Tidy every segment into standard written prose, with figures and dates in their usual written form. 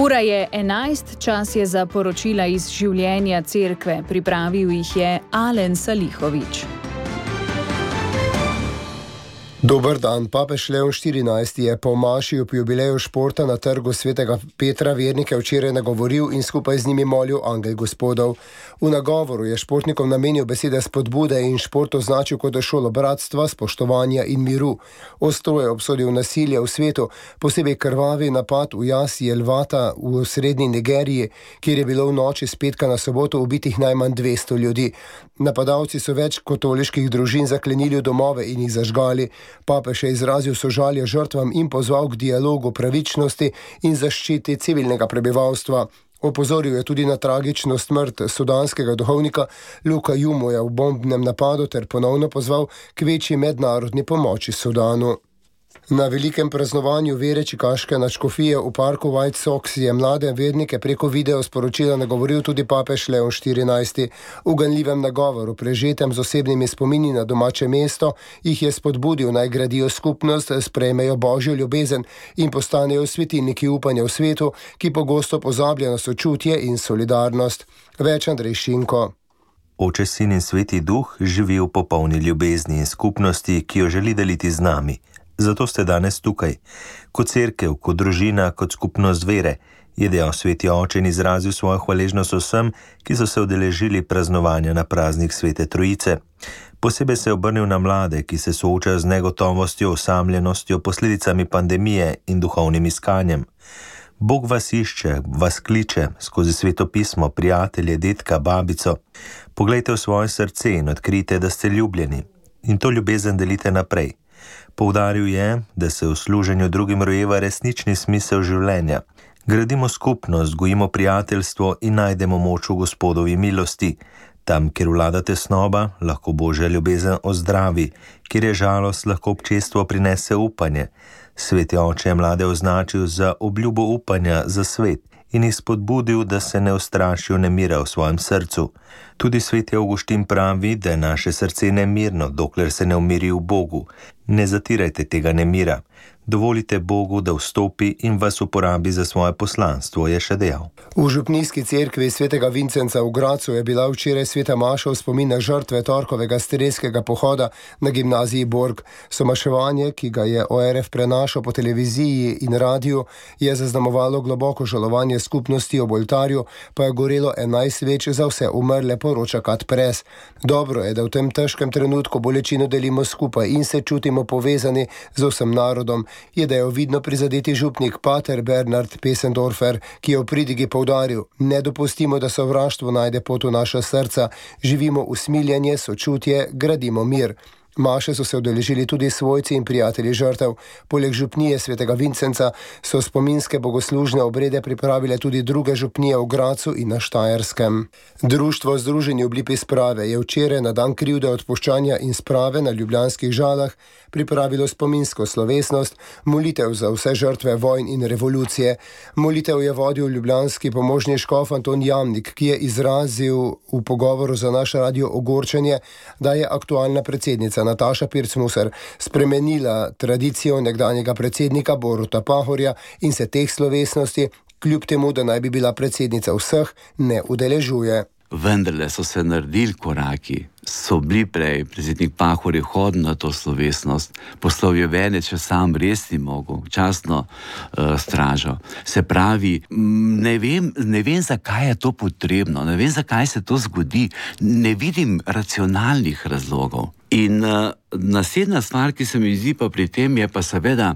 Ura je 11, čas je za poročila iz življenja cerkve. Pripravil jih je Alen Salihovič. Dober dan, papež Leon XIV je po maši ob jubileju športa na trgu svetega Petra vernike včeraj nagovoril in skupaj z njimi molil angel gospodov. V nagovoru je športnikom namenil besede spodbude in šport označil kot šolo bratstva, spoštovanja in miru. Ostro je obsodil nasilje v svetu, posebej krvavi napad v jasi Elvata v srednji Nigeriji, kjer je bilo v noči s petka na soboto ubitih najmanj 200 ljudi. Napadalci so več katoliških družin zaklenili v domove in jih zažgali. Papež je izrazil sožalje žrtvam in pozval k dialogu, pravičnosti in zaščiti civilnega prebivalstva. Opozoril je tudi na tragično smrt sudanskega duhovnika Luka Jumoja v bombnem napadu ter ponovno pozval k večji mednarodni pomoči Sudanu. Na velikem praznovanju vere čikaške nadškofije v parku White Sox je mlade vernike preko video sporočila nagovoril tudi papež Leon XIV. V ganljivem nagovoru, prežetem z osebnimi spomini na domače mesto, jih je spodbudil naj gradijo skupnost, sprejmejo božjo ljubezen in postanejo svetilniki upanja v svetu, ki pogosto pozablja na sočutje in solidarnost. Več Andrej Šinko. Oče, Sin in Sveti Duh živi v popolni ljubezni in skupnosti, ki jo želi deliti z nami. Zato ste danes tukaj, kot cerkev, kot družina, kot skupnost vere, je dejal Sveti Oče in izrazil svojo hvaležnost vsem, ki so se udeležili praznovanja na praznik Svete Trojice. Posebej se je obrnil na mlade, ki se soočajo z negotovostjo, osamljenostjo, posledicami pandemije in duhovnim iskanjem. Bog vas išče, vas kliče skozi Sveto pismo, prijatelje, dedka, babico. Poglejte v svoje srce in odkrijte, da ste ljubljeni. In to ljubezen delite naprej. Poudaril je, da se v služenju drugim rojeva resnični smisel življenja. Gradimo skupnost, gojimo prijateljstvo in najdemo moč v Gospodovi milosti. Tam, kjer vlada tesnoba, lahko Božja ljubezen ozdravi, kjer je žalost, lahko občestvo prinese upanje. Sveti Oče je mlade označil za obljubo upanja za svet in jih spodbudil, da se ne ustrašijo nemira v svojem srcu. Tudi Sveti Avguštin pravi, da je naše srce nemirno, dokler se ne umiri v Bogu. Ne zatirajte tega nemira. Dovolite Bogu, da vstopi in vas uporabi za svoje poslanstvo, je še dejal. V župnijski cerkvi svetega Vincenca v Gracu je bila včeraj sveta maša v spomin na žrtve torkovega strelskega pohoda na gimnaziji Borg. Somaševanje, ki ga je ORF prenašal po televiziji in radiju, je zaznamovalo globoko žalovanje skupnosti ob oltarju, pa je gorelo 11 sveč za vse umrle, poroča Kat Pres. Dobro je, da v tem težkem trenutku bolečino delimo skupaj in se čutimo povezani z vsem narodom, je dejal vidno prizadeti župnik pater Bernard Pesendorfer, ki je v pridigi poudaril: ne dopustimo, da sovraštvo najde pot v naša srca, živimo usmiljenje, sočutje, gradimo mir. Maše so se udeležili tudi svojci in prijatelji žrtev. Poleg župnije svetega Vincenca so spominske bogoslužne obrede pripravile tudi druge župnije v Gracu in na Štajerskem. Društvo Združeni v Lipi sprave je včeraj na dan krivde, odpuščanja in sprave na ljubljanskih Žalah pripravilo spominsko slovesnost, molitev za vse žrtve vojn in revolucije. Molitev je vodil ljubljanski pomožni škof Anton Jamnik, ki je izrazil v pogovoru za naš radio ogorčenje, da je aktualna predsednica Nataša Pirc-Musar spremenila tradicijo nekdanjega predsednika Boruta Pahorja in se teh slovesnosti, kljub temu, da naj bi bila predsednica vseh, ne udeležuje. Vendarle so se naredili koraki. So bili prej, predsednik Pahor je hodil na to slovesnost, poslal je vene, če sam res ni mogel, častno stražo. Se pravi, ne vem, zakaj je to potrebno, ne vem, zakaj se to zgodi, ne vidim racionalnih razlogov. In naslednja stvar, ki se mi zdi pa pri tem, je pa seveda,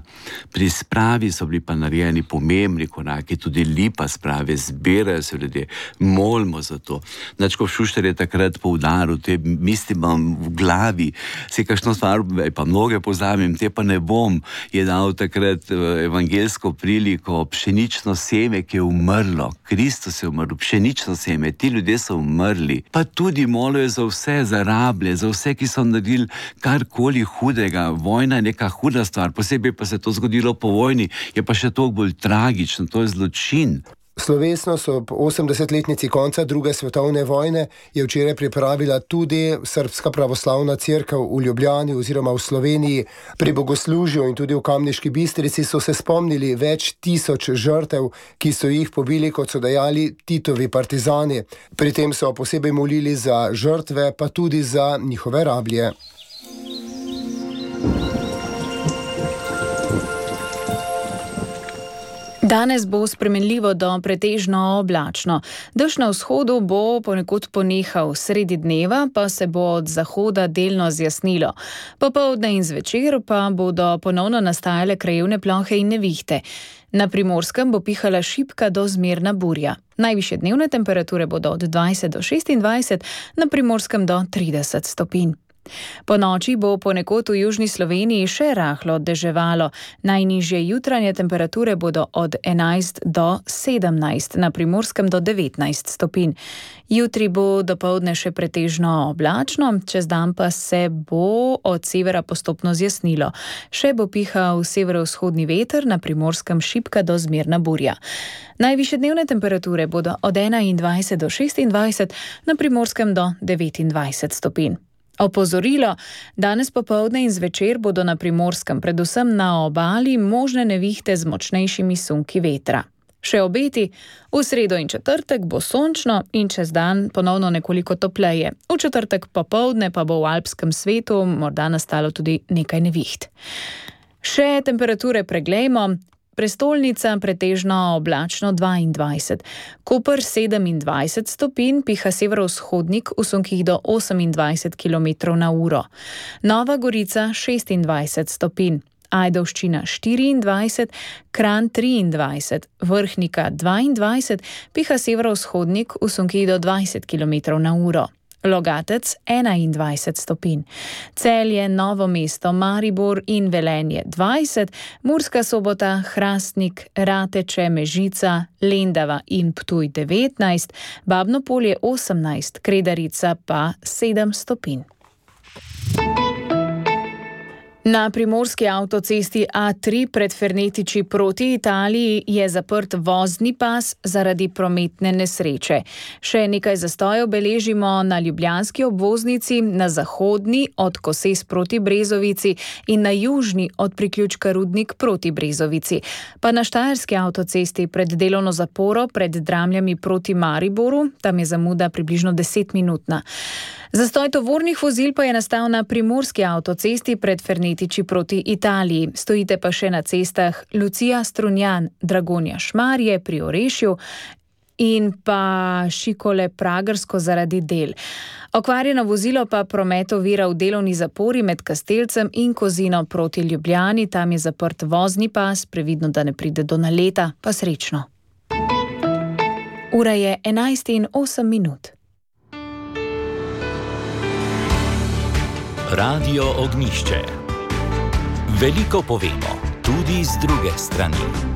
pri spravi so bili pa narejeni pomembni koraki, tudi Lipa sprave, zbirajo se ljudje, molimo za to. Nadškof Šuštar je takrat poudaril, te misli imam v glavi, se kakšno stvar, pa mnoge pozabim, te pa ne bom, je dal takrat evangelsko priliko, pšenično seme, ki je umrlo, Kristus je umrl, pšenično seme, ti ljudje so umrli, pa tudi molijo za vse, za rablje, za vse, ki so naredili karkoli hudega. Vojna je neka huda stvar, posebej pa se to zgodilo po vojni, je pa še toliko bolj tragično, to je zločin. Slovesnost ob 80-letnici konca druge svetovne vojne je včeraj pripravila tudi Srpska pravoslavna cerkev v Ljubljani oziroma v Sloveniji. Pri bogoslužju in tudi v Kamniški Bistrici so se spomnili več tisoč žrtev, ki so jih pobili, kot so dejali, Titovi partizani. Pri tem so posebej molili za žrtve, pa tudi za njihove rablje. Danes bo spremenljivo do pretežno oblačno. Dež na vzhodu bo ponekod ponehal, sredi dneva pa se bo od zahoda delno zjasnilo. Popoldne in zvečer pa bodo ponovno nastajale krajevne plohe in nevihte. Na Primorskem bo pihala šibka do zmerna burja. Najvišje dnevne temperature bodo od 20 do 26, na Primorskem do 30 stopinj. Po noči bo ponekod v južni Sloveniji še rahlo deževalo. Najnižje jutranje temperature bodo od 11 do 17, na Primorskem do 19 stopinj. Jutri bo dopoldne še pretežno oblačno, čez dan pa se bo od severa postopno zjasnilo. Še bo pihal severovzhodni veter, na Primorskem šibka do zmerna burja. Najvišje dnevne temperature bodo od 21 do 26, na Primorskem do 29 stopinj. Opozorilo, danes popoldne in zvečer bodo na Primorskem, predvsem na obali, možne nevihte z močnejšimi sunki vetra. Še obeti, v sredo in četrtek bo sončno in čez dan ponovno nekoliko topleje. V četrtek popoldne pa bo v alpskem svetu morda nastalo tudi nekaj neviht. Še temperature preglejmo. Prestolnica pretežno oblačno 22, Koper 27 stopinj, piha severovzhodnik v sunkih do 28 km na uro. Nova Gorica 26 stopinj, Ajdovščina 24, Kranj 23, Vrhnika 22, piha severovzhodnik v sunkih do 20 km na uro. Logatec 21 stopinj, Celje, Novo mesto, Maribor in Velenje 20, Murska Sobota, Hrastnik, Rateče, Mežica, Lendava in Ptuj 19, Babno Polje 18, Kredarica pa 7 stopinj. Na primorski avtocesti A3 pred Fernetiči proti Italiji je zaprt vozni pas zaradi prometne nesreče. Še nekaj zastojev beležimo na ljubljanski obvoznici, na zahodni od Koses proti Brezovici in na južni od priključka Rudnik proti Brezovici. Pa na štajerski avtocesti pred delovno zaporo pred Dramljami proti Mariboru, tam je zamuda približno 10-minutna. Zastoj tovornih vozil pa je nastal na primorski avtocesti pred Fernetiči proti Italiji. Stojite pa še na cestah Lucija Strunjan, Dragonja Šmarje pri Orešju in pa Šikole Pragersko zaradi del. Okvarjeno vozilo pa promet ovira v delovni zapori med Kastelcem in Kozino proti Ljubljani. Tam je zaprt vozni pas, previdno, da ne pride do naleta, pa srečno. Ura je 11:08. Radio Ognjišče. Veliko povemo, tudi z druge strani.